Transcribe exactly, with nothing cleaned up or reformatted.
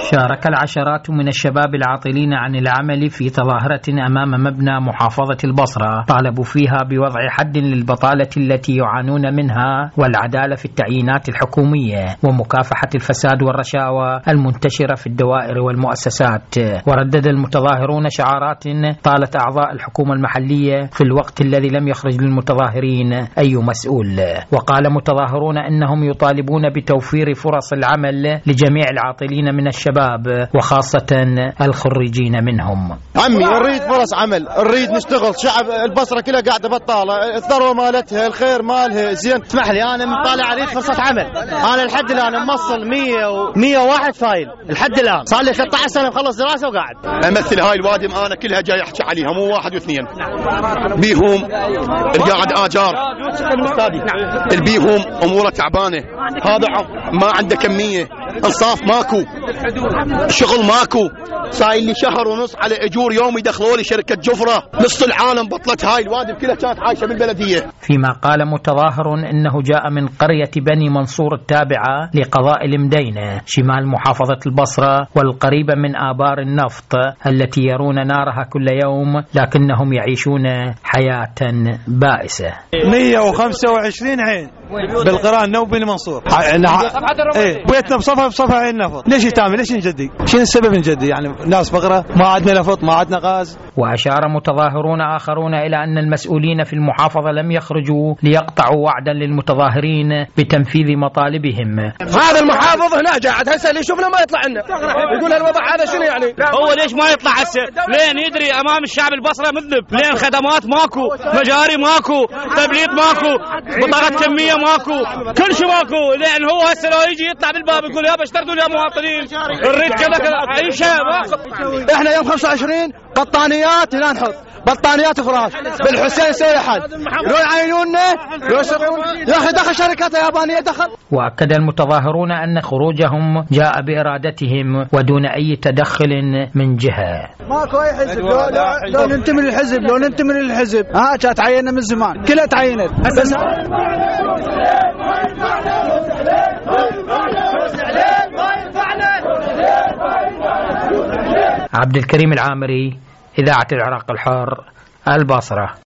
شارك العشرات من الشباب العاطلين عن العمل في تظاهرة أمام مبنى محافظة البصرة طالبوا فيها بوضع حد للبطالة التي يعانون منها والعدالة في التعيينات الحكومية ومكافحة الفساد والرشاوى المنتشرة في الدوائر والمؤسسات. وردد المتظاهرون شعارات طالت أعضاء الحكومة المحلية في الوقت الذي لم يخرج للمتظاهرين أي مسؤول. وقال متظاهرون إنهم يطالبون بتوفير فرص العمل لجميع العاطلين من الشباب وخاصة الخريجين منهم. عمي نريد فرص عمل، نريد نشتغل. شعب البصرة كلها قاعدة بطالة، الثروة مالتها، الخير مالها زين. اسمح لي أنا مطالع أريد فرصة عمل. أنا لحد الآن موصل مية وواحد فايل لحد الآن، صار لي ثلاثة عشر سنة مخلص دراسة وقاعد. أمثل هاي الوادم أنا كلها جاي أحكي عليها، مو واحد واثنين. بيهم القاعد آجار، البيهم أموره تعبانة، هذا ما عنده كمية، انصاف ماكو، شغل ماكو. صاير لي شهر ونص على اجور يومي دخلوا لي شركه جفره، نص العالم بطلت. هاي الوادم كلها كانت عايشه بالبلديه. فيما قال متظاهر انه جاء من قريه بني منصور التابعه لقضاء المدينه شمال محافظه البصره والقريبه من ابار النفط التي يرون نارها كل يوم لكنهم يعيشون حياه بائسه. مية وخمسة وعشرين عين بالقران نو بني منصور. ايه بيتنا بصفها بصفها عين نفط. ليش يتعمل؟ ليش نجدي؟ شنو السبب نجدي؟ يعني ناس فقره، ما عندنا نفط، ما عندنا غاز. وأشار متظاهرون آخرون إلى أن المسؤولين في المحافظة لم يخرجوا ليقطعوا وعدا للمتظاهرين بتنفيذ مطالبهم. هذا المحافظ هنا قاعد هسه اللي يشوفنا ما يطلع لنا، يقول الوضع هذا شنو يعني؟ هو ليش ما يطلع هسه؟ لين يدري أمام الشعب البصرة مذنب، لين خدمات ماكو، مجاري ماكو، تبليط ماكو، بطاقة كمية ماكو، كل شيء ماكو. لين هو هسه لو يجي يطلع بالباب يقول يا اشترطوا يا مواطنين نريد كذا كذا أي شيء. احنا يوم خمسة وعشرين بطانيات هنا نحط بطانيات فراش بالحسين سوي حد يروح يعينونا يا اخي دخل شركات يابانيه دخل. واكد المتظاهرون ان خروجهم جاء بارادتهم ودون اي تدخل من جهه. ماكو اي حزب، لو, لو, لو ننتمي للحزب لو ننتمي للحزب ها كانت تعيننا من زمان، كلها تعينت بس. عبد الكريم العامري، إذاعة العراق الحر، البصرة.